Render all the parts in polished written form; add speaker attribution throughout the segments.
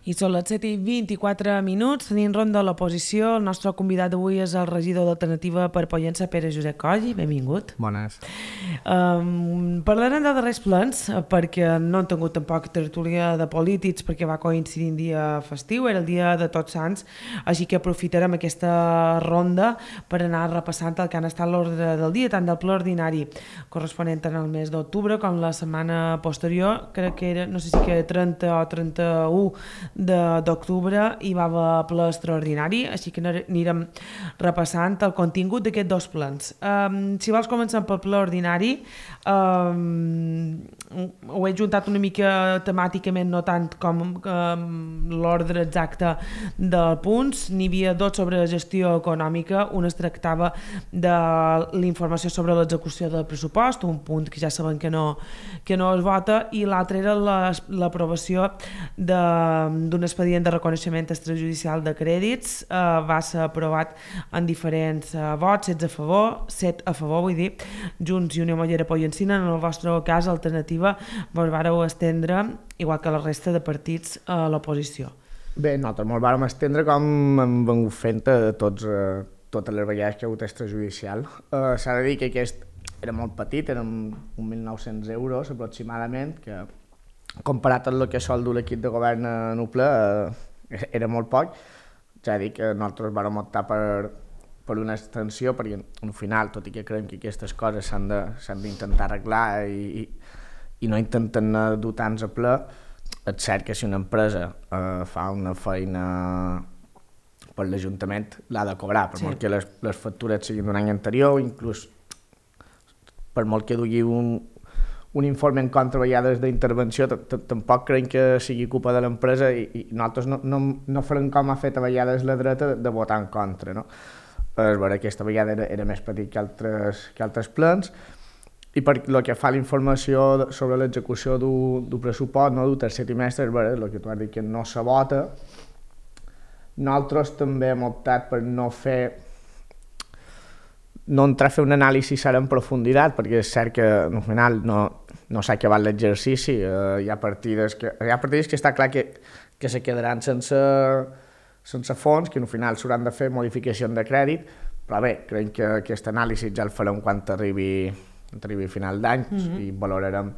Speaker 1: I són les 7:24, tenim ronda a l'oposició. El nostre convidat d'avui és el regidor d'Alternativa per Pollença, Pere Josep Coll. Benvingut.
Speaker 2: Bones.
Speaker 1: Parlarem de darrers plans, perquè no han tingut tampoc tertúlia de polítics, perquè va coincidir un dia festiu, era el dia de Tots Sants, així que aprofitarem aquesta ronda per anar repassant el que han estat l'ordre del dia, tant del ple ordinari corresponent en el mes d'octubre com la setmana posterior, crec que era, no sé si que era 30 o 31 d'octubre hi va haver ple extraordinari, així que anirem repassant el contingut d'aquests dos plens. Si vols començar pel ple ordinari, ho he juntat una mica temàticament, no tant com l'ordre exacte dels punts. N'hi havia dos sobre gestió econòmica, un es tractava de l'informació sobre l'execució del pressupost, un punt que ja sabem que no es vota, i l'altre era l'aprovació d'un expedient de reconeixement extrajudicial de crèdits. Va ser aprovat en diferents vots, 16 a favor, 7 a favor, vull dir, Junts i Unió Mollera Pollencina. En el vostre cas, Alternativa, vos vareu estendre, igual que la resta de partits, a l'oposició.
Speaker 2: Bé, nosaltres ens vàrem estendre com hem vengut fent totes les vegades que hi ha hagut extrajudicial. S'ha de dir que aquest era molt petit, eren 1.900 euros aproximadament, que comparat amb el que sol dur l'equip de govern en un ple, era molt poc. Ja dic que nosaltres vam optar per una extensió, perquè al final, tot i que creiem que aquestes coses s'han d'intentar arreglar i no intenten dur tants a ple, és cert que si una empresa fa una feina per l'Ajuntament l'ha de cobrar, per molt que les factures siguin d'un any anterior, inclús per molt que dugui un informe en contra a vegades d'intervenció, tampoc creiem que sigui culpa de l'empresa i nosaltres no farem com ha fet a vegades la dreta de votar en contra, no? És vera, aquesta vegada era més petit que altres plens, i per el que fa a la informació sobre l'execució d'un pressupost, no, d'un tercer trimestre, és vera, el que tu has dit que no se vota. Nosaltres també hem optat per no entrar a fer un anàlisi ara en profunditat, perquè és cert que al final no s'ha acabat l'exercici, hi ha partides que està clar que se quedaran sense fons, que al final s'hauran de fer modificacions de crèdit, però bé, creiem que aquest anàlisi ja el farem quan arribi a final d'any i valorarem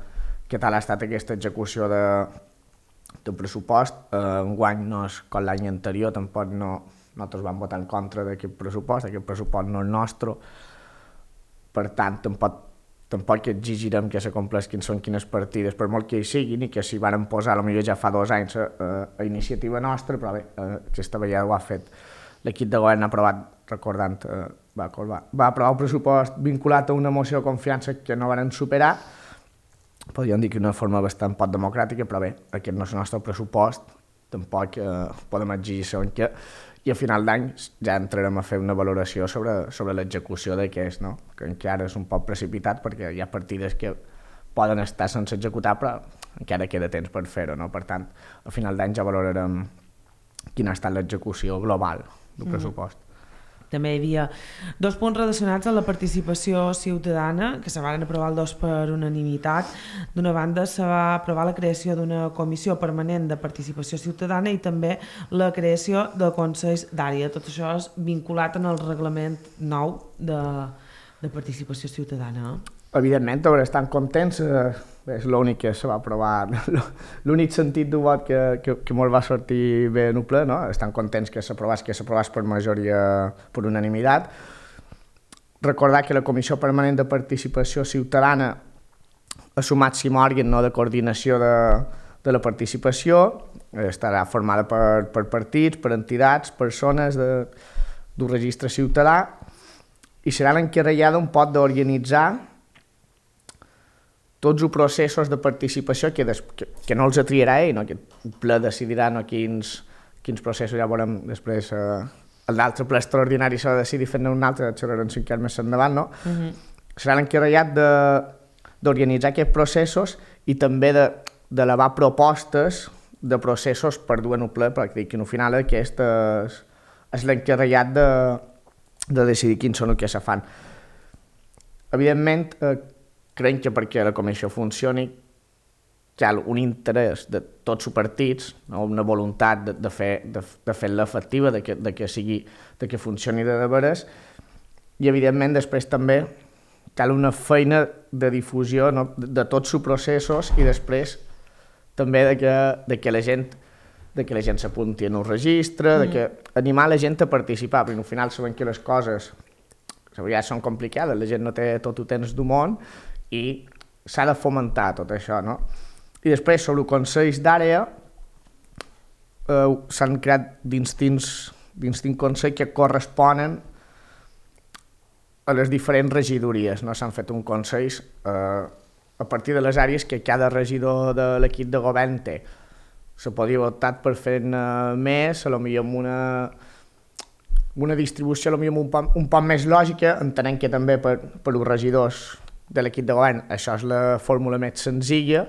Speaker 2: què tal ha estat aquesta execució del pressupost. Enguany no és com l'any anterior, tampoc nosaltres vam votar en contra d'aquest pressupost no és nostre, per tant tampoc exigirem que s'acompleixin quines partides, per molt que hi siguin, i que s'hi van posar potser ja fa 2 anys a iniciativa nostra, però bé, aquesta vegada ho ha fet l'equip de govern. Ha aprovat, recordant, va aprovar un pressupost vinculat a una moció de confiança que no van superar, podríem dir que d'una forma bastant poc democràtica, però bé, aquest no és el nostre pressupost, tampoc podem exigir segons què, i a final d'any ja entrarem a fer una valoració sobre l'execució d'aquest, no? Que encara és un poc precipitat perquè hi ha partides que poden estar sense executar, però encara queda temps per fer-ho, no? Per tant, a final d'any ja valorarem quina ha estat l'execució global del pressupost.
Speaker 1: També hi havia 2 punts relacionats amb la participació ciutadana, que se van aprovar els 2 per unanimitat. D'una banda, se va aprovar la creació d'una comissió permanent de participació ciutadana i també la creació de consells d'àrea. Tot això és vinculat en el reglament nou de participació ciutadana.
Speaker 2: Evidentment, estan contents, és l'únic que se va aprovar, l'únic sentit d'un vot que molt va sortir bé en un ple, no? Estan contents que s'aprovés per majoria, per unanimitat. Recordar que la Comissió Permanent de Participació Ciutadana ha sumat 5 òrgans, no, de coordinació de la participació, estarà formada per partits, per entitats, persones d'un registre ciutadà, i serà l'encarregada un poc d'organitzar tots els processos de participació que no els triarà ell, no? Que el ple decidirà quins processos, ja veurem després, l'altre ple extraordinari s'ha de decidir fent un altre, xerrarem 5 anys més endavant, no? Serà l'encarregat d'organitzar aquests processos i també d'elevar propostes de processos per dur en un ple, perquè al final aquest és l'encarregat de decidir quins són els que se fan. Evidentment, creiem que perquè la comissió funcioni hi ha un interès de tots els partits, no? Una voluntat de fer-la efectiva, de que funcioni de veres, i evidentment després també cal una feina de difusió, no? de tots els processos, i després també de que la gent s'apunti en un registre, de que animar la gent a participar, perquè al final sabem que les coses ja són complicades, la gent no té tot el temps del món i s'ha de fomentar tot això, no? I després, sobre els consells d'àrea, s'han creat distints consells que corresponen a les diferents regidories, no? S'han fet un consells a partir de les àrees que cada regidor de l'equip de govern té. Se podria haver optat per fer-ne més, potser amb una distribució potser un poc més lògica, entenent que també per als regidors de l'equip de govern això és la fórmula més senzilla,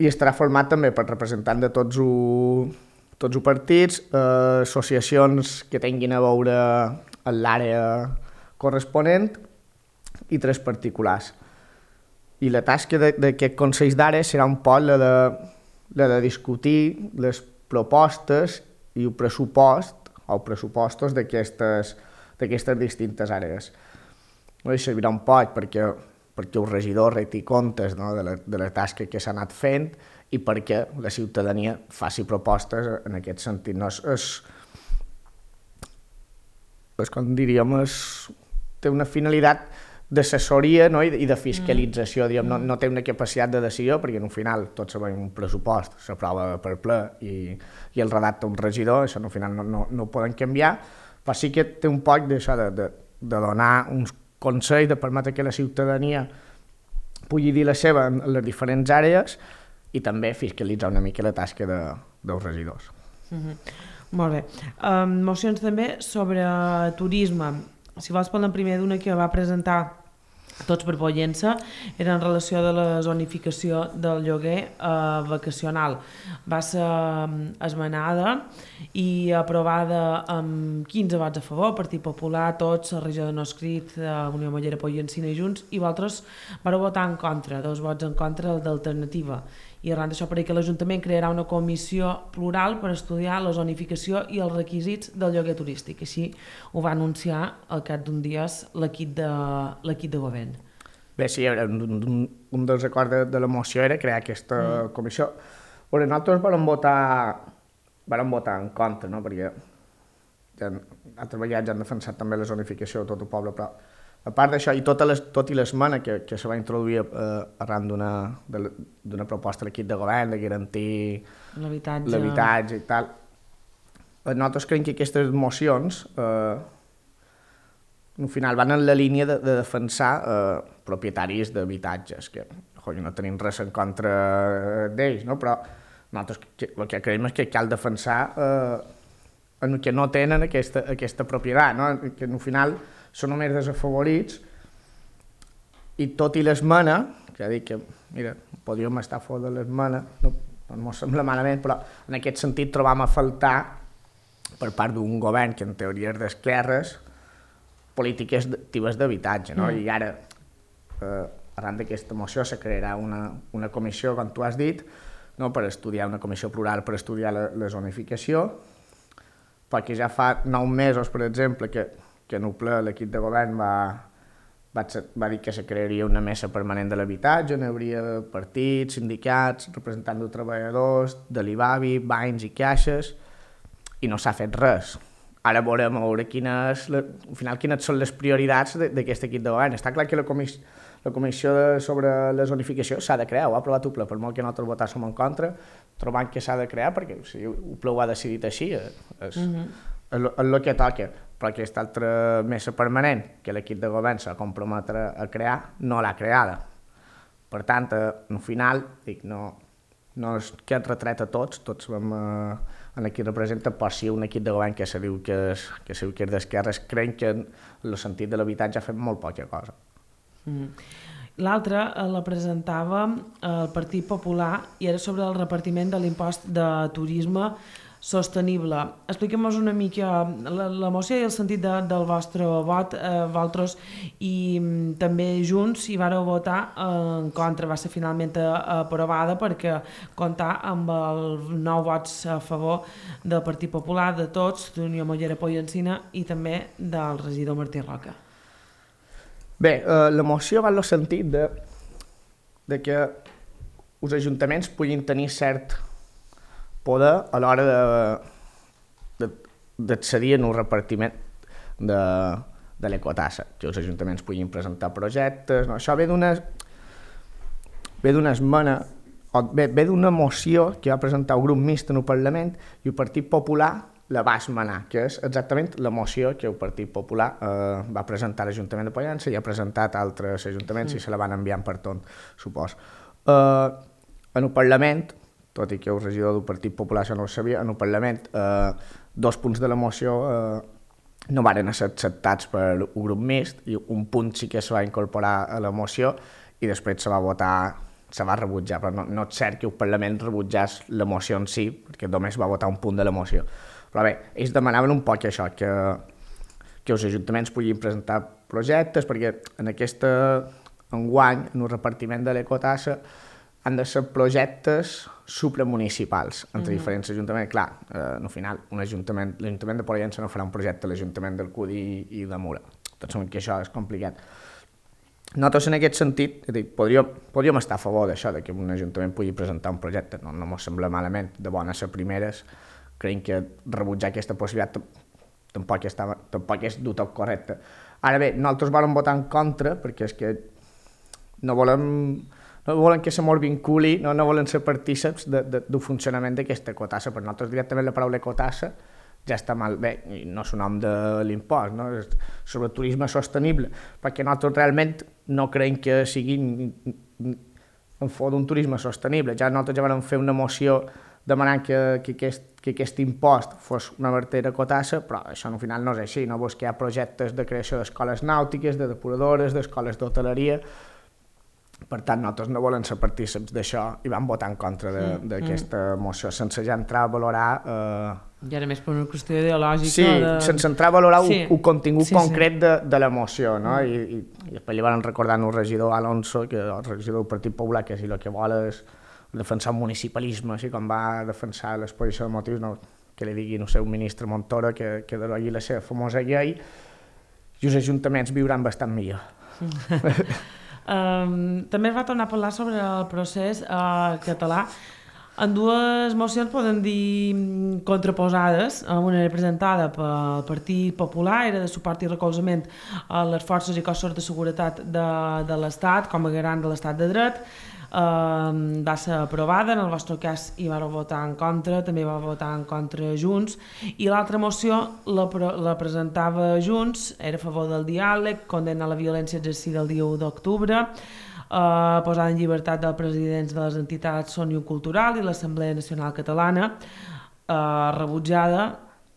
Speaker 2: i estarà format també per representants de tots els partits, associacions que tinguin a veure en l'àrea corresponent i 3 particulars. I la tasca d'aquest Consell d'Àrea serà un poc la de discutir les propostes i el pressupost o pressupostos d'aquestes distintes àrees. No servirà un poc perquè el regidor reti comptes, no? de la tasca que s'ha anat fent i perquè la ciutadania faci propostes en aquest sentit. No? Com diríem, té una finalitat d'assessoria, no? I de fiscalització, no té una capacitat de decisió, perquè al final tots sabem un pressupost s'aprova per ple i el redacta un regidor, això al final no ho poden canviar, però sí que té un poc d'això, de donar uns consells, de permetre que la ciutadania pugui dir la seva en les diferents àrees i també fiscalitzar una mica la tasca dels regidors.
Speaker 1: Molt bé. Mocions també sobre turisme. Si vols parlar primer d'una que va presentar Tots per Pollença, era en relació de la zonificació del lloguer vacacional. Va ser esmenada i aprovada amb 15 vots a favor, Partit Popular, Tots, Regidor no escrit, Unió Mollera, Pollencina i Junts, i vosaltres vareu votar en contra, 2 vots en contra d'Alternativa. I arran d'això, perquè l'Ajuntament crearà una comissió plural per estudiar la zonificació i els requisits del lloguer turístic. Així ho va anunciar al cap d'un dies l'equip de govern.
Speaker 2: Bé, sí, un dels acords de la moció era crear aquesta comissió. Però nosaltres vam votar en contra, no? Perquè altres vegades han defensat també la zonificació de tot el poble, però a part d'això, i tot i l'esmena que se va introduir arran d'una proposta de l'equip de govern de garantir l'habitatge i tal, nosaltres creiem que aquestes mocions al final van en la línia de defensar propietaris d'habitatges, que no tenim res en contra d'ells, no? Però nosaltres el que creiem és que cal defensar en que no tenen aquesta propietat, no? Que al final són només desafavorits, i tot i l'esmena, que dic que, mira, podríem estar fora de l'esmena, no ens sembla malament, però en aquest sentit trobam a faltar, per part d'un govern que en teoria és d'esquerres, polítiques actives d'habitatge, no? I ara, arran d'aquesta moció, se crearà una comissió, com tu has dit, no? Per estudiar, una comissió plural per estudiar la zonificació, perquè ja fa 9 mesos, per exemple, que en el ple l'equip de govern va dir que se crearia una mesa permanent de l'habitatge, on hi hauria partits, sindicats, representants de treballadors, de l'IBABI, bancs i caixes, i no s'ha fet res. Ara veurem a veure quines són les prioritats d'aquest equip de govern. Està clar que la comissió sobre la zonificació s'ha de crear, ho ha aprovat el ple, per molt que nosaltres votàssim en contra, trobant que s'ha de crear, perquè si el ple ho ha decidit així, és el que toca. Però aquesta altra mesa permanent que l'equip de govern s'ha comprometre a crear, no l'ha creada. Per tant, al final, no és que et retret a tots vam en aquí representa, però sí un equip de govern que se diu que és d'esquerres, creiem que en el sentit de l'habitatge ha fet molt poca cosa.
Speaker 1: L'altra la presentava el Partit Popular i era sobre el repartiment de l'impost de turisme sostenible. Expliquem-nos una mica la moció i el sentit del vostre vot, vosaltres i també Junts hi vareu votar en contra, va ser finalment aprovada perquè comptar amb els 9 vots a favor del Partit Popular, de tots, d'Unió Mollera Pollencina i també del regidor Martí Roca.
Speaker 2: Bé, la moció va en el sentit de que els ajuntaments puguin tenir cert poder a l'hora d'accedir en un repartiment de l'ecotassa, que els ajuntaments puguin presentar projectes. No? Això ve d'una esmena, ve d'una moció que va presentar el grup mixt en el Parlament i el Partit Popular la va esmenar, que és exactament la moció que el Partit Popular va presentar a l'Ajuntament de Pollença i ha presentat a altres ajuntaments i se la van enviant per tot, suposo. En el Parlament, tot i que el regidor del Partit Popular això no ho sabia, en el Parlament 2 punts de la moció no varen ser acceptats per un grup mixt i un punt sí que se va incorporar a la moció i després se va votar, se va rebutjar, però no és cert que el Parlament rebutjés la moció en si, perquè només va votar un punt de la moció. Però bé, ells demanaven un poc això, que els ajuntaments puguin presentar projectes, perquè en enguany, en el repartiment de l'ecotassa, han de ser projectes supramunicipals entre diferents ajuntaments. Clar, al final, l'Ajuntament de Pollença no farà un projecte a l'Ajuntament del Cudi i de Mura. Tots sabem que això és complicat. Nosaltres, en aquest sentit, podríem estar a favor d'això, que un ajuntament pugui presentar un projecte. No ens sembla malament, de bones a primeres. Creiem que rebutjar aquesta possibilitat tampoc és del tot correcte. Ara bé, nosaltres volem votar en contra perquè és que no volen que se mos vinculi, no volen ser partíceps del funcionament d'aquesta ecotassa. Per nosaltres directament la paraula ecotassa ja està mal bé, i no és un nom de l'impost, no? És sobre el turisme sostenible, perquè nosaltres realment no creiem que sigui en favor d'un turisme sostenible. Nosaltres ja vam fer una moció demanant que aquest impost fos una vertera ecotassa, però això al final no és així, no? Vos que hi ha projectes de creació d'escoles nàutiques, de depuradores, d'escoles d'hoteleria. Per tant, nosaltres no volem ser partíceps d'això i vam votar en contra d'aquesta moció, sense ja entrar a valorar...
Speaker 1: I ara més per una qüestió ideològica...
Speaker 2: Sí, sense entrar a valorar el contingut concret de la moció, no? I després li van recordar al regidor Alonso, que el regidor del Partit Popular, que si el que vol és defensar el municipalisme, així com va defensar l'exposició de motius, no? Que li digui, no sé, un ministre Montoro que derogui la seva famosa llei i els ajuntaments viuran bastant millor.
Speaker 1: També es va tornar a parlar sobre el procés català. En 2 mocions poden dir contraposades. Una era presentada pel Partit Popular, era de suport i recolzament a les forces i cossos de seguretat de l'Estat com a garant de l'Estat de dret. Va ser aprovada, en el vostre cas hi va votar en contra, també va votar en contra Junts, i l'altra moció la presentava Junts, era a favor del diàleg, condemna la violència exercida el dia 1 d'octubre, posada en llibertat dels presidents de les entitats Òmnium Cultural i l'Assemblea Nacional Catalana, rebutjada.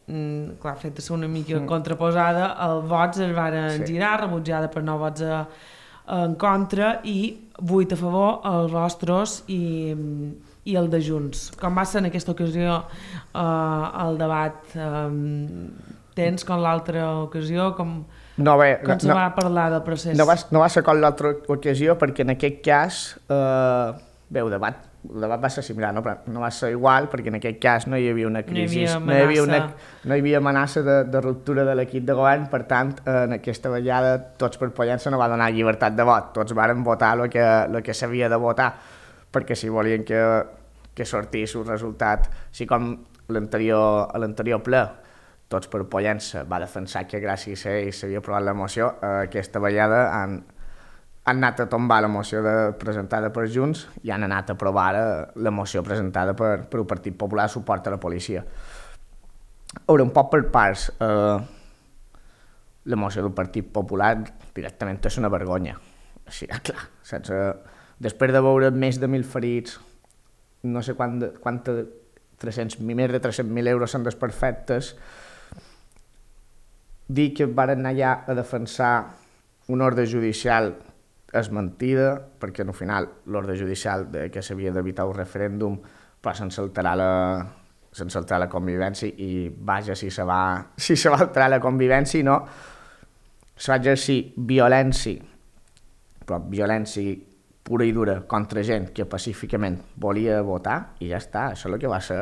Speaker 1: Clar, fet de ser una mica contraposada, els vots es van girar, rebutjada per 9 vots en contra i 8 a favor, els vostres i el de Junts. Com va ser en aquesta ocasió el debat? Tens com l'altra ocasió? Com se va parlar del procés?
Speaker 2: No va ser com l'altra ocasió perquè en aquest cas bé, el debat va ser similar, no? Però no va ser igual perquè en aquest cas no hi havia una crisi, no hi havia amenaça de ruptura de l'equip de govern, per tant, en aquesta vegada Tots per Pollença no va donar llibertat de vot, tots varen votar el que s'havia de votar, perquè si volien que sortís un resultat, així com a l'anterior ple, Tots per Pollença va defensar que gràcies a ells s'havia aprovat la moció, aquesta vegada han anat a tombar la moció presentada per Junts i han anat a aprovar la moció presentada per el Partit Popular de suport a la policia. Ara, un poc per parts, la moció del Partit Popular directament és una vergonya. Així, clar, després de veure més de 1.000 ferits, no sé més de 300.000 euros en desperfectes, dir que van anar allà a defensar un ordre judicial és mentida, perquè al final l'ordre judicial que s'havia d'evitar un referèndum però sense alterar sense altrar la convivència, i vaja, si se va altrar la convivència, no? Se va exercir violència, però violència pura i dura contra gent que pacíficament volia votar, i ja està, això és el que va ser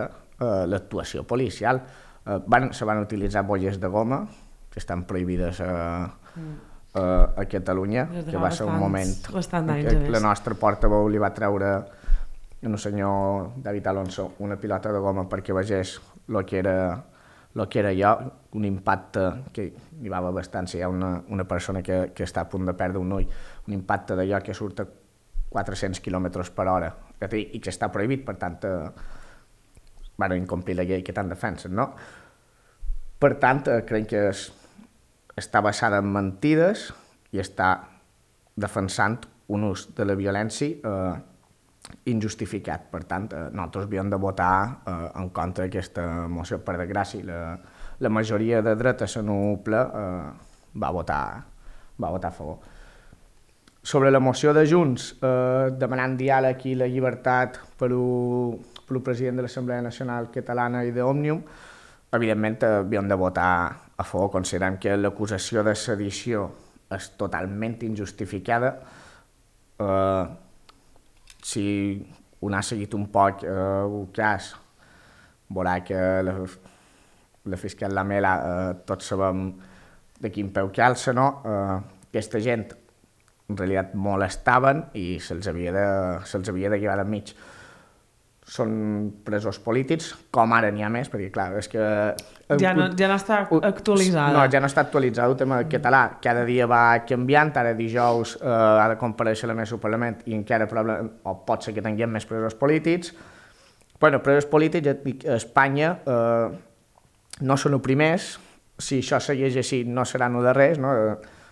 Speaker 2: l'actuació policial. Se van utilitzar bolles de goma, que estan prohibides a Catalunya, que va ser un moment que la nostra portaveu li va treure al senyor David Alonso una pilota de goma perquè vegés el que era allò, un impacte que hi va haver bastant, si hi ha una persona que està a punt de perdre un ull, un impacte d'allò que surt a 400 km per hora i que està prohibit, per tant van incomplir la llei que tant defensen, no? Per tant, crec que està basada en mentides i està defensant un ús de la violència injustificat. Per tant, nosaltres havíem de votar en contra d'aquesta moció. Per desgràcia, la majoria de dreta a la NUPLA va votar a favor. Sobre la moció de Junts, demanant diàleg i la llibertat per al president de l'Assemblea Nacional Catalana i d'Òmnium, evidentment havíem de votar a favor. Considerem que l'acusació de sedició és totalment injustificada. Si un ha seguit un poc el cas, veurà que la fiscal Lamela, tots sabem de quin peu calça, no? Aquesta gent en realitat molestaven i se'ls havia de llevar d'enmig. Són presos polítics, com ara n'hi ha més, perquè clar, és que...
Speaker 1: Ja no està actualitzada.
Speaker 2: No, ja no està actualitzada el tema català. Cada dia va canviant, ara dijous ha de comparèixer la mesa al Parlament i encara o pot ser que tinguem més presos polítics. Bueno, presos polítics a Espanya no són els primers, si això segueix així no seran els darrers, no?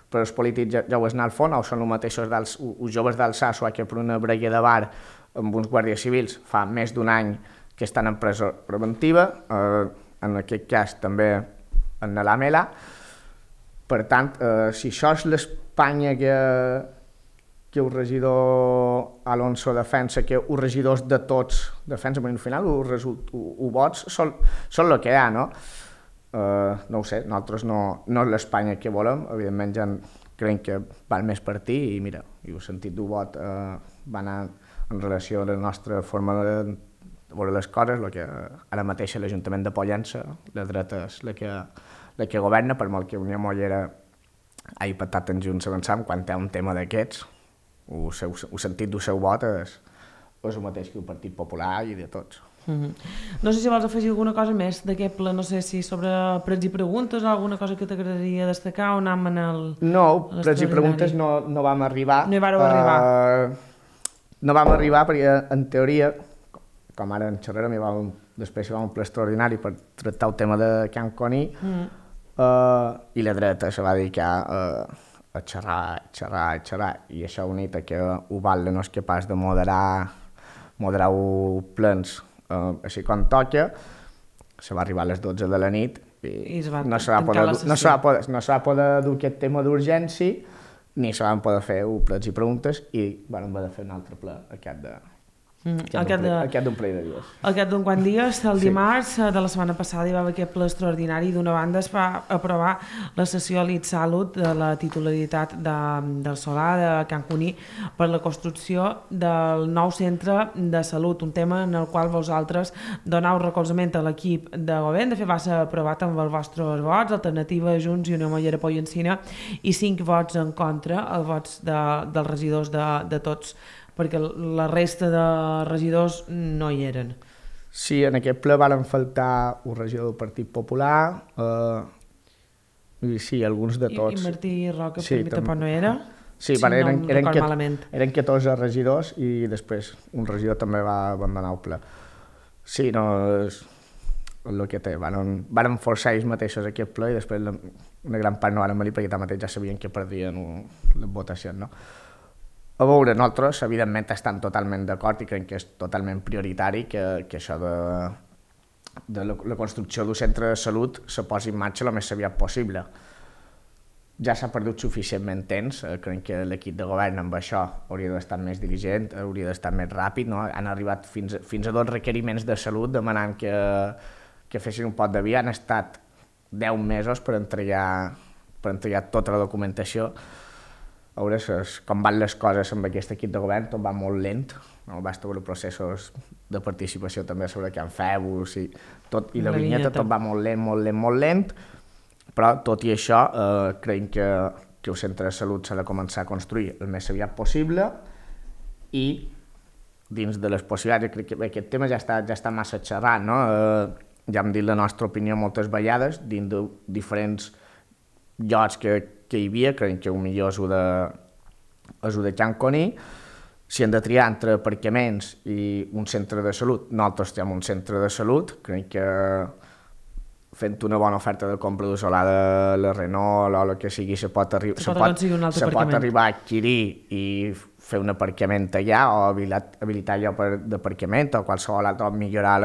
Speaker 2: Presos polítics ja ho és anar al fons, o són els mateixos els joves d'Alsàsua que per una brega de bar amb uns guàrdies civils fa més d'un any que estan en presó preventiva, en aquest cas també en la Lamela. Per tant, si això és l'Espanya que el regidor Alonso defensa, que els regidors de tots defensen, perquè al final els vots són el que hi ha, no? No ho sé, nosaltres no és l'Espanya que volem, evidentment ja creiem que val més per ti i mira, i el sentit del vot va anar en relació a la nostra forma de veure les coses, el que ara mateix l'Ajuntament de Pollença, la dreta és la que governa, per molt que Unió Mollera hagi patat en Junts avançant, quan hi ha un tema d'aquests, el sentit del seu vot és el mateix que el Partit Popular i de tots.
Speaker 1: No sé si vols afegir alguna cosa més d'aquest ple, no sé si sobre prets i preguntes o alguna cosa que t'agradaria destacar o anem en el...
Speaker 2: No, prets i preguntes no vam arribar.
Speaker 1: No hi vareu arribar.
Speaker 2: No vam arribar perquè, en teoria, com ara en xerrarem, després hi va un ple extraordinari per tractar el tema de Can Coní, i la dreta se va dedicar a xerrar, i això unit a que Ubalde no és capaç de moderar els plens així com toca, se va arribar a les 12 de la nit i no se va poder dur aquest tema d'urgència ni se van poder fer plets i preguntes i vam haver de fer un altre ple aquest d'un ple de dies.
Speaker 1: Aquest d'un quant dies, el dimarts de la setmana passada hi va haver aquest ple extraordinari. D'una banda es va aprovar la cessió a l'Itsalut de la titularitat del solar de Can Cuní per la construcció del nou centre de salut, un tema en el qual vosaltres donau recolzament a l'equip de govern. De fet va ser aprovat amb els vostres vots, Alternativa, Junts i Unió Mollera Pollencina, i 5 vots en contra, els vots dels regidors de tots, perquè la resta de regidors no hi eren.
Speaker 2: Sí, en aquest ple van faltar un regidor del Partit Popular, sí, alguns de tots.
Speaker 1: I Martí Roca, sí, per mi tampoc no era?
Speaker 2: Sí, eren 14 regidors i després un regidor també va abandonar el ple. Sí, no, és el que té. Van forçar ells mateixos aquest ple i després una gran part no van venir perquè tanmateix ja sabien que perdien les votacions, no? A veure, nosaltres, evidentment, estem totalment d'acord i creiem que és totalment prioritari que això de la construcció d'un centre de salut se posi en marxa el més aviat possible. ja s'ha perdut suficientment temps. Crec que l'equip de govern amb això hauria d'estar més diligent, hauria d'estar més ràpid, no? Han arribat fins a 2 requeriments de salut demanant que fessin un pot de via. Han estat 10 mesos per entregar tota la documentació. A veure com van les coses amb aquest equip de govern, tot va molt lent, no? Basta veure processos de participació també sobre Can Febus i la vinyeta, tot va molt lent, però tot i això creiem que el centre de salut s'ha de començar a construir el més aviat possible i dins de les possibilitats, crec que aquest tema ja està massa xerrat, no? Ja hem dit la nostra opinió moltes vegades, dins de diferents llocs que hi havia, creiem que el millor és el de Can Coni. Si hem de triar entre aparcaments i un centre de salut, nosaltres tenim un centre de salut, crec que fent una bona oferta de compra d'usolada de la Renault o el que sigui, se pot arribar a adquirir i fer un aparcament allà o habilitar lloc d'aparcament o qualsevol altre, millorar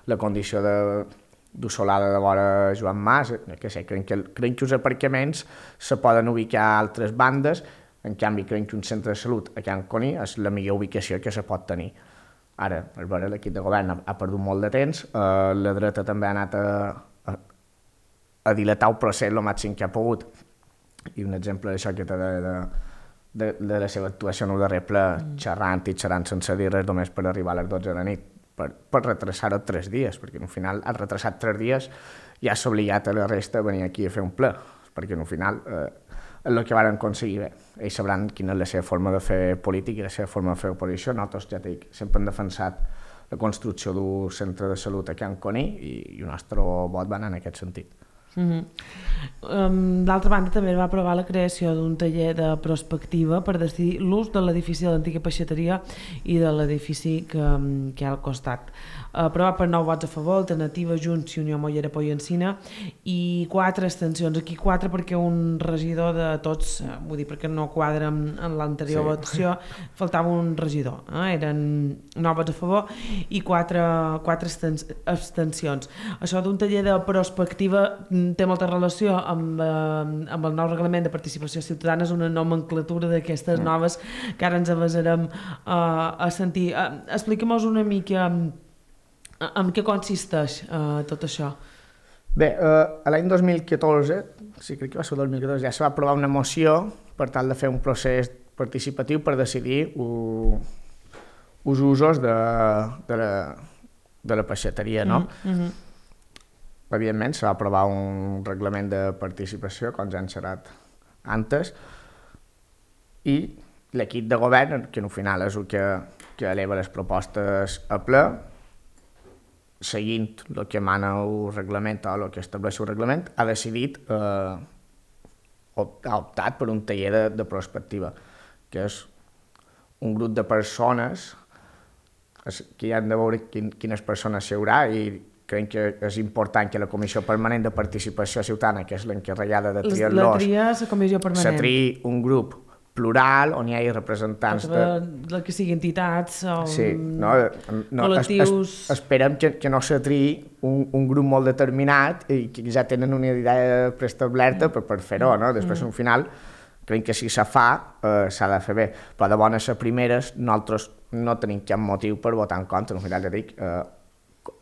Speaker 2: la condició d'usolada de vora Joan Mas, que sé, crec que els aparcaments se poden ubicar a altres bandes. En canvi, crec que un centre de salut a Can Coni és la millor ubicació que se pot tenir. Ara, a veure, l'equip de govern ha perdut molt de temps, la dreta també ha anat a dilatar el procés el màxim que ha pogut. I un exemple d'això que de la seva actuació en el darrer ple, xerrant sense dir res, només per arribar a les 12 de la nit, per retrasar-ho 3 dies, perquè al final ha retrasat 3 dies i ha obligat a la resta a venir aquí a fer un ple, perquè al final és el que van aconseguir bé. Ells sabran quina és la seva forma de fer política i la seva forma de fer oposició. Nosaltres, ja dic, sempre hem defensat la construcció d'un centre de salut a Can Coni i el nostre vot va anar en aquest sentit.
Speaker 1: D'altra banda, també va aprovar la creació d'un taller de prospectiva per decidir l'ús de l'edifici de l'antiga peixateria i de l'edifici que hi ha al costat. Aprovat per 9 vots a favor, Alternativa, Junts i Unió Mollera Pollancina, i 4 abstencions. Aquí 4 perquè un regidor de tots, vull dir, perquè no quadra en l'anterior votació, faltava un regidor. Eren 9 vots a favor i 4 abstencions. Això d'un taller de prospectiva té molta relació amb el nou reglament de participació ciutadana, és una nomenclatura d'aquestes noves que ara ens avasarem a sentir. Explica'm-nos una mica en què consisteix tot això.
Speaker 2: Bé, l'any 2014, sí, crec que va ser el 2014, ja se va aprovar una moció per tal de fer un procés participatiu per decidir els usos de la peixateria, no? Evidentment, se va aprovar un reglament de participació, com ja han xerrat antes, i l'equip de govern, que al final és el que eleva les propostes a ple, seguint el que mana el reglament o el que estableix el reglament, ha decidit, ha optat per un taller de prospectiva, que és un grup de persones que hi han de veure quines persones hi haurà, i crec que és important que la Comissió Permanent de Participació Ciutadana, que és l'encarregada de triar-los, se triï un grup plural on hi hagi representants
Speaker 1: de que siguin entitats o
Speaker 2: col·lectius. Esperem que no se triï un grup molt determinat i que ja tenen una idea preestablerta per fer-ho, no? Després, al final, crec que si se fa, s'ha de fer bé, però de bones a primeres nosaltres no tenim cap motiu per votar en contra. Al final, ja dic,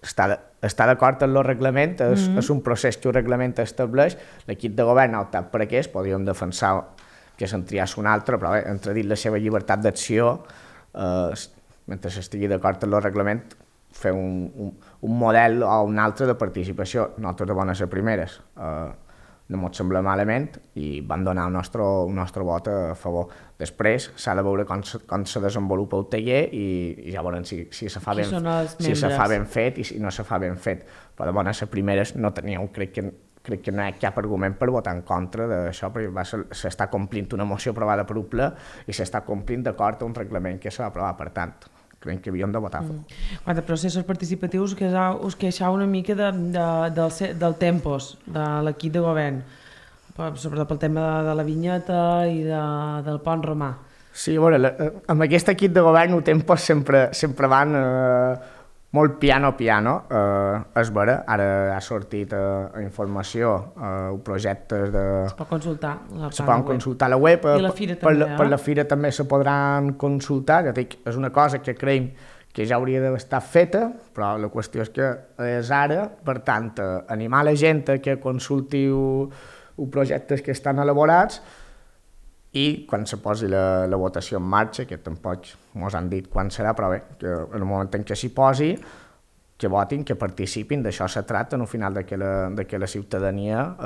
Speaker 2: està d'acord amb el reglament, és un procés que el reglament estableix, l'equip de govern ha optat per aquest, podríem defensar que se'n triés un altre, però bé, entre dit la seva llibertat d'acció, mentre s'estigui d'acord amb el reglament, fer un model o un altre de participació. Nosaltres de bones a primeres no ens sembla malament i van donar el nostre vot a favor. Després s'ha de veure com se desenvolupa el taller i ja veurem si se fa ben fet i si no se fa ben fet. Però de bones a primeres no teníeu, crec que no hi ha cap argument per votar en contra d'això, perquè s'està complint una moció aprovada per un ple i s'està complint d'acord amb un reglament que s'ha aprovar, per tant, crec que havíem de votar a favor.
Speaker 1: Quant a processos participatius, us queixeu una mica del tempos de l'equip de govern, sobretot pel tema de la vinyeta i del pont romà.
Speaker 2: Sí, a veure, amb aquest equip de govern els tempos sempre van molt piano, és vera, ara ha sortit informació, projectes de...
Speaker 1: Es pot consultar
Speaker 2: se poden consultar a la web,
Speaker 1: I la fira també,
Speaker 2: per la fira també se podran consultar, ja dic, és una cosa que creiem que ja hauria d'haver estat feta, però la qüestió és que és ara, per tant, animar la gent a que consulti projectes que estan elaborats i quan se posi la votació en marxa, que tampoc ens han dit quan serà, però bé, que en el moment en què s'hi posi, que votin, que participin, d'això se tracta, al final de que la ciutadania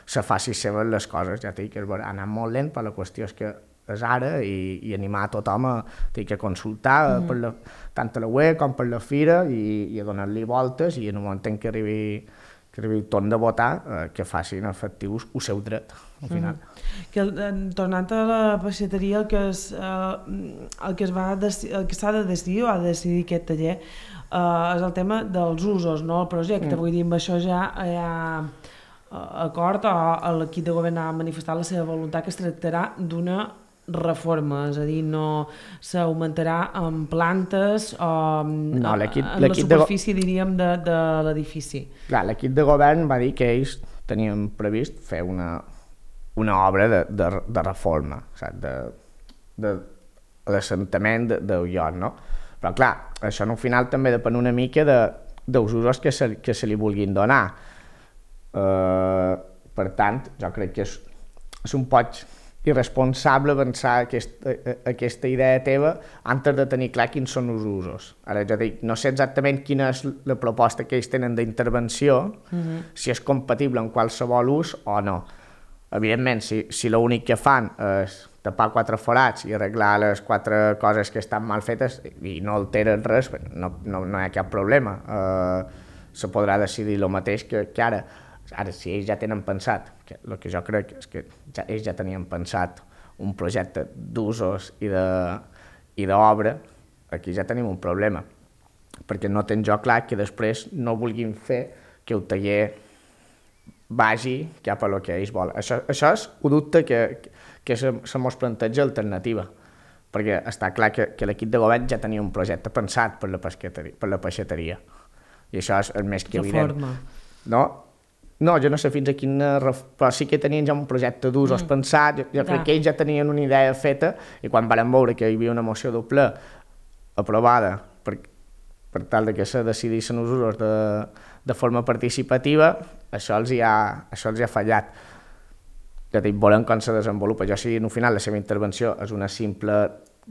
Speaker 2: se faci seves les coses, ja dic, ha anat molt lent, però la qüestió és que és ara i animar a tothom a consultar tant a la web com per la fira i a donar-li voltes i en el moment en què arribi el torn de votar que facin efectius el seu dret al final.
Speaker 1: Tornant a la peixateria, el que s'ha de decidir o ha de decidir aquest taller és el tema dels usos, no? El projecte, vull dir, amb això ja hi ha acord o l'equip de govern ha manifestat la seva voluntat que es tractarà d'una reforma, és a dir, no s'augmentarà en plantes o en la superfície, diríem, de l'edifici.
Speaker 2: Clar, l'equip de govern va dir que ells tenien previst fer una obra de reforma, d'assentament del lloc, no? Però clar, això al final també depèn una mica dels usos que se li vulguin donar. Per tant, jo crec que és un poc irresponsable pensar aquesta idea teva antes de tenir clar quins són els usos. Ara jo dic, no sé exactament quina és la proposta que ells tenen d'intervenció, si és compatible amb qualsevol ús o no. Evidentment, si l'únic que fan és tapar 4 forats i arreglar les 4 coses que estan mal fetes i no alteren res, no hi ha cap problema. Se podrà decidir el mateix que ara. Ara, si ells ja tenen pensat, el que jo crec és que ells ja tenien pensat un projecte d'usos i d'obra, aquí ja tenim un problema, perquè no tenc jo clar que després no vulguin fer que el taller vagi cap a lo que ells volen. Això és un dubte que se mos planteja alternativa, perquè està clar que l'equip de govern ja tenia un projecte pensat per la peixateria, i això és el més que evident. No, jo no sé fins a quina... Però sí que tenien ja un projecte d'usos pensat, jo crec que ells ja tenien una idea feta i quan vam veure que hi havia una moció del ple aprovada per tal que se decidissin els usos de forma participativa, això els hi ha fallat. Ja dic, volem com se desenvolupa. Jo sí, al final, la seva intervenció és una simple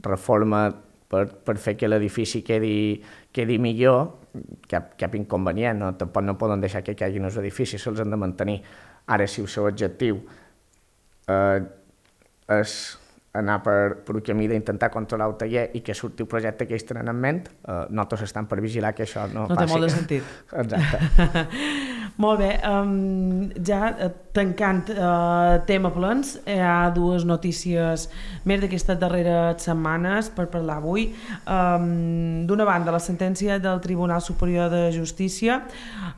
Speaker 2: reforma per fer que l'edifici quedi millor, cap inconvenient, no? Tampoc no poden deixar que caiguin els edificis, se'ls han de mantenir. Ara, si el seu objectiu és anar per un camí d'intentar controlar el taller i que surti el projecte que ells tenen en ment, nosaltres estem per vigilar que això no passi.
Speaker 1: No té molt de sentit.
Speaker 2: Exacte.
Speaker 1: Molt bé, ja tancant tema plens, hi ha 2 notícies més d'aquestes darreres setmanes per parlar avui. D'una banda, la sentència del Tribunal Superior de Justícia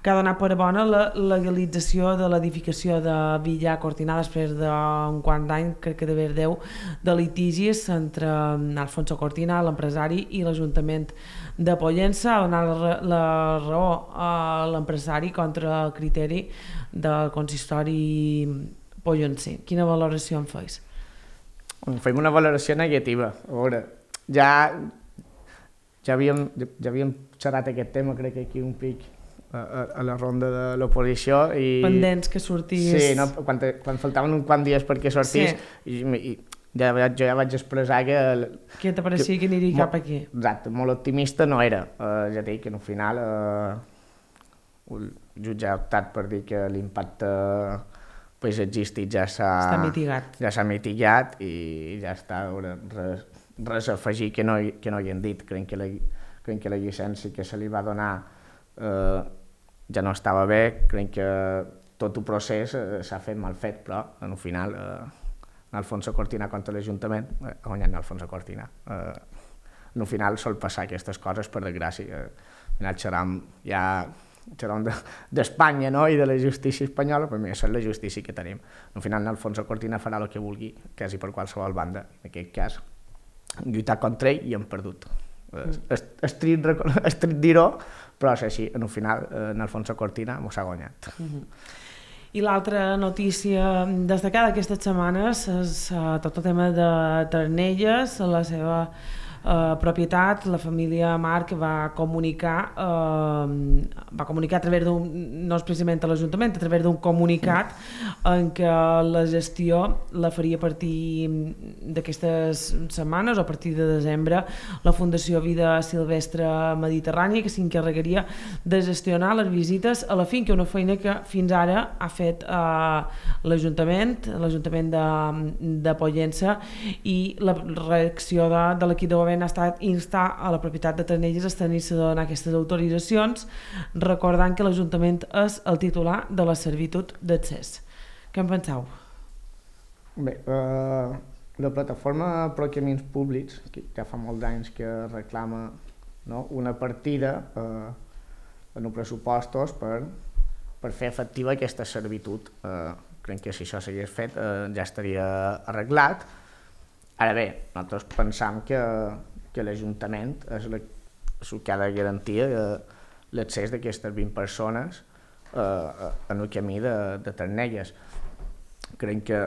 Speaker 1: que ha donat per bona la legalització de l'edificació de Villar Cortinar després d'un quant d'any, crec que d'haver 10, de litigis entre Alfonso Cortina, l'empresari, i l'Ajuntament de Pollença. Ha donat la raó a l'empresari contra el criteri del consistori pollencer. Quina valoració en feis?
Speaker 2: Fem una valoració negativa. A veure, ja havíem xerrat aquest tema, crec que aquí un pic a la ronda de l'oposició.
Speaker 1: Pendents que sortís.
Speaker 2: Sí, no? Quan faltaven un quant dies perquè sortís, sí. Jo ja vaig expressar
Speaker 1: que te pareixia que aniria cap aquí.
Speaker 2: Exacte, molt optimista no era. Ja dic que al final el jutge ha optat per dir que l'impacte paisatgístic ja s'ha mitigat i ja està, res a afegir que no hi hem dit. Creiem que la llicència que se li va donar ja no estava bé, creiem que tot el procés s'ha fet mal fet, però al final Alfonso Cortina contra l'Ajuntament ha guanyat Alfonso Cortina. Al final sol passar aquestes coses, per desgràcia. Al final xerram d'Espanya, no? I de la justícia espanyola, però això és la justícia que tenim. Al final Alfonso Cortina farà el que vulgui, quasi per qualsevol banda. En aquest cas, lluitar contra ell i hem perdut. Estrit dir-ho, però és així, en el final, en Alfonso Cortina m'ho s'ha guanyat.
Speaker 1: I l'altra notícia destacada aquestes setmanes és tot el tema de Ternelles, la seva propietat. La família Marc va comunicar a través d'un, no és precisament a l'Ajuntament, a través d'un comunicat en què la gestió la faria a partir d'aquestes setmanes o a partir de desembre la Fundació Vida Silvestre Mediterrània, que s'encarregaria de gestionar les visites a la finca, una feina que fins ara ha fet l'Ajuntament de Pollença, i la reacció de l'equip de govern ha estat instar a la propietat de Ternelles a tenir-se de donar aquestes autoritzacions, recordant que l'Ajuntament és el titular de la servitud d'accés. Què en penseu?
Speaker 2: Bé, la plataforma Pro Camins Públics, que ja fa molts anys que reclama, no, una partida en els pressupostos per fer efectiva aquesta servitud. Crec que si això s'hagués fet ja estaria arreglat. Ara bé, nosaltres pensam que l'Ajuntament és el que ha de garantir l'accés d'aquestes 20 persones en el camí de Ternelles. Crec que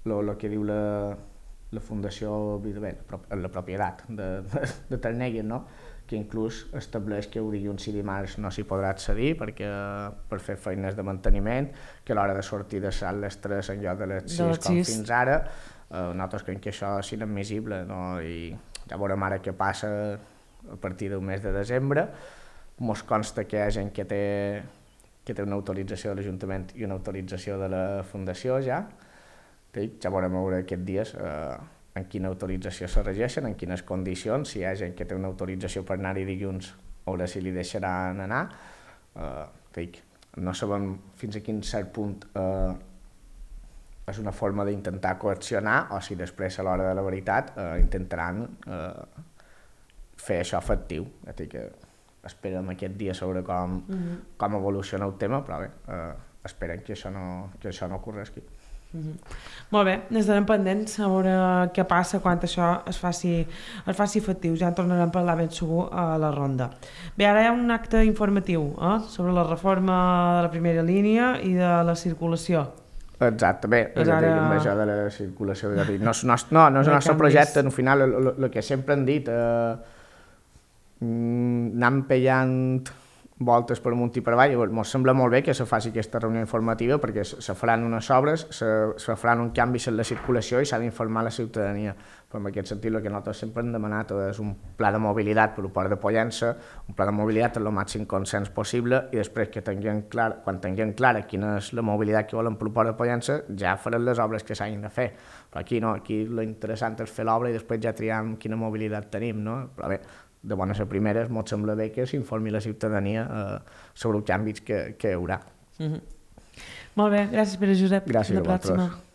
Speaker 2: el que diu la Fundació Vida, la propietat de Ternelles, no? Que inclús estableix que dilluns i dimarts no s'hi podrà accedir per fer feines de manteniment, que a l'hora de sortir de sal les 3 en lloc de les 6 com fins ara. Nosaltres creiem que això és inadmissible, no? I ja veurem ara què passa a partir del mes de desembre. Mos consta que hi ha gent que té una autorització de l'Ajuntament i una autorització de la Fundació ja. Ja veurem aquests dies en quina autorització se regeixen, en quines condicions. Si hi ha gent que té una autorització per anar-hi dilluns, veure si li deixaran anar. No sabem fins a quin cert punt és una forma d'intentar coaccionar o si després a l'hora de la veritat intentaran fer això efectiu. Esperem aquest dia sobre com evoluciona el tema, però bé, esperem que això no ocorregui.
Speaker 1: Molt bé, estarem pendents a veure què passa quan això es faci efectiu. Ja en tornarem a parlar ben segur a la ronda. Bé, ara hi ha un acte informatiu sobre la reforma de la primera línia i de la circulació.
Speaker 2: Exacte, bé, amb això de la circulació, no és el nostre projecte, al final el que sempre hem dit, anem pellant voltes per amunt i per avall. Ens sembla molt bé que se faci aquesta reunió informativa perquè se faran unes obres, se faran un canvi en la circulació i s'ha d'informar la ciutadania. Però en aquest sentit el que nosaltres sempre hem demanat és un pla de mobilitat per al Port de Pollença, un pla de mobilitat amb el màxim consens possible, i després que quan tinguem clara quina és la mobilitat que volen per al Port de Pollença ja farem les obres que s'hagin de fer. Però aquí no, aquí l'interessant és fer l'obra i després ja triam quina mobilitat tenim, no? Però bé, de bones a primeres, ens sembla bé que s'informi la ciutadania sobre els canvis que hi haurà.
Speaker 1: Molt bé, gràcies Pere Josep.
Speaker 2: Gràcies a vosaltres.